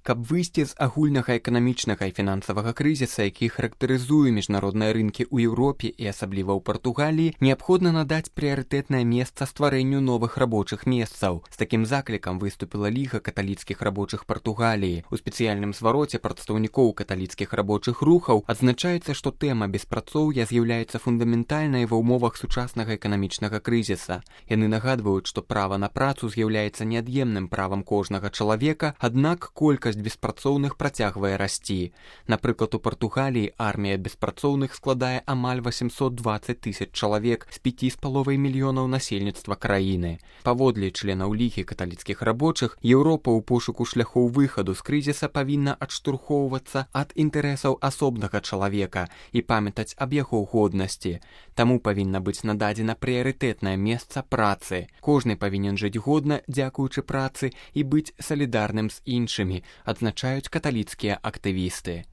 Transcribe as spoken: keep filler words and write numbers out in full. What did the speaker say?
Каб выйсці з агульнага эканамічнага і фінансавага крызіса, які характарызуе міжнародныя рынкі ў Еўропе і асабліва ў Партугаліі, неабходна надаць прыярытэтнае месца стварэнню новых рабочых месцаў. З такім заклікам выступіла Ліга каталіцкіх рабочых Партугаліі. У спецыяльным звароце прадстаўнікоў каталіцкіх рабочых рухаў адзначаецца, што тэма беспрацоўя з'яўляецца фундаментальнай ва ўмовах сучаснага эканамічнага крызіса. Яны нагадваюць, што права на працу з'яўляецца неад'емным правам кожнага чалавека, аднак колькасць беспрацоўных працягвае расці. Напрыклад, у Партугаліі армія беспрацоўных складае амаль восемьсот двадцать тысяч чалавек з пяці з паловай мільёнаў насельніцтва краіны. Паводле членаў Лігі каталіцкіх рабочых, Еўропа ў пошуку шляхоў выхаду з крызіса павінна адштурхоўвацца ад інтарэсаў асобнага чалавека і памятаць аб яго годнасці. Таму павінна быць нададзена прыярытэтнае месца працы. Кожны павінен жыць годна дзякуючы працы і быць салідарным з іншымі, адзначаюць каталіцкія актывісты.